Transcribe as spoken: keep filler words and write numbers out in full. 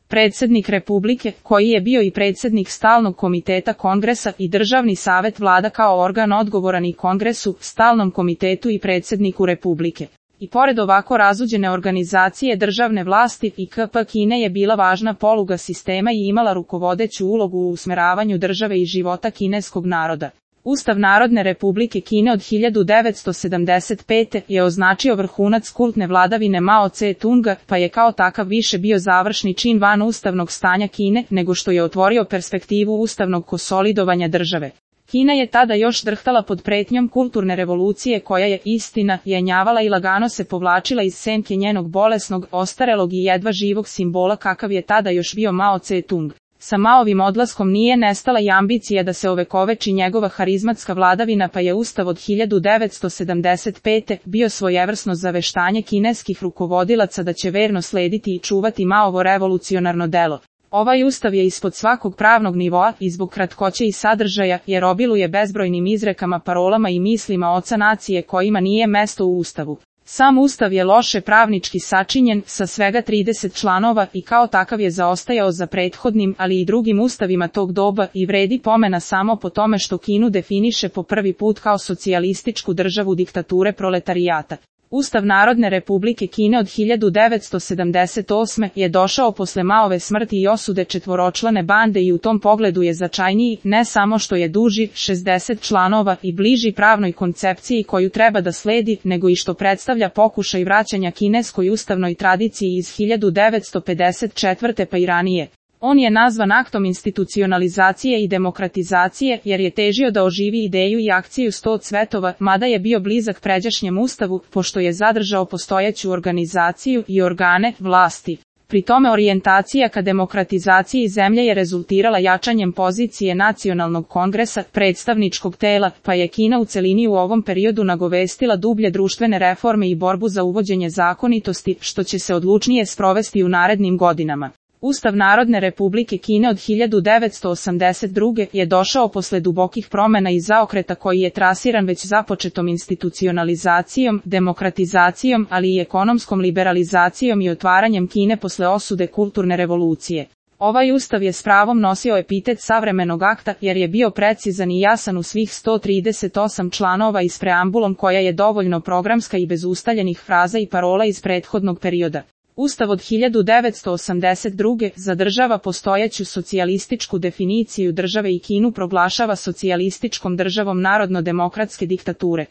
Predsjednik Republike, koji je bio i predsjednik Stalnog komiteta Kongresa i Državni savet vlada kao organ odgovoran i Kongresu, Stalnom komitetu i predsjedniku Republike. I pored ovako razuđene organizacije državne vlasti, I K P Kine je bila važna poluga sistema i imala rukovodeću ulogu u usmeravanju države i života kineskog naroda. Ustav Narodne Republike Kine od hiljadu devetsto sedamdeset pete. je označio vrhunac kultne vladavine Mao Tse-tunga, pa je kao takav više bio završni čin van ustavnog stanja Kine, nego što je otvorio perspektivu ustavnog konsolidovanja države. Kina je tada još drhtala pod pretnjom kulturne revolucije koja je, istina, jenjavala i lagano se povlačila iz senke njenog bolesnog, ostarelog i jedva živog simbola kakav je tada još bio Mao Tse-tung. Sa Maovim odlaskom nije nestala i ambicija da se ovekoveči njegova harizmatska vladavina, pa je Ustav od hiljadu devetsto sedamdeset pete. bio svojevrsno zaveštanje kineskih rukovodilaca da će verno slediti i čuvati Maovo revolucionarno delo. Ovaj ustav je ispod svakog pravnog nivoa i zbog kratkoće i sadržaja, jer obiluje bezbrojnim izrekama, parolama i mislima oca nacije kojima nije mesto u ustavu. Sam ustav je loše pravnički sačinjen, sa svega trideset članova i kao takav je zaostajao za prethodnim, ali i drugim ustavima tog doba i vredi pomena samo po tome što Kinu definiše po prvi put kao socijalističku državu diktature proletarijata. Ustav Narodne Republike Kine od hiljadu devetsto sedamdeset osme. je došao posle Maove smrti i osude četvoročlane bande i u tom pogledu je značajniji, ne samo što je duži, šezdeset članova i bliži pravnoj koncepciji koju treba da sledi, nego i što predstavlja pokušaj vraćanja kineskoj ustavnoj tradiciji iz hiljadu devetsto pedeset četvrte. pa i ranije. On je nazvan aktom institucionalizacije i demokratizacije, jer je težio da oživi ideju i akciju sto cvetova, mada je bio blizak pređašnjem ustavu, pošto je zadržao postojeću organizaciju i organe vlasti. Pri tome orijentacija ka demokratizaciji zemlje je rezultirala jačanjem pozicije Nacionalnog kongresa, predstavničkog tela, pa je Kina u celini u ovom periodu nagovestila dublje društvene reforme i borbu za uvođenje zakonitosti, što će se odlučnije sprovesti u narednim godinama. Ustav Narodne Republike Kine od hiljadu devetsto osamdeset druge. je došao posle dubokih promena i zaokreta koji je trasiran već započetom institucionalizacijom, demokratizacijom, ali i ekonomskom liberalizacijom i otvaranjem Kine posle osude kulturne revolucije. Ovaj ustav je s pravom nosio epitet savremenog akta, jer je bio precizan i jasan u svih sto trideset osam članova i s preambulom koja je dovoljno programska i bez ustaljenih fraza i parola iz prethodnog perioda. Ustav od hiljadu devetsto osamdeset druge. zadržava postojeću socijalističku definiciju države i Kinu proglašava socijalističkom državom narodno-demokratske diktature.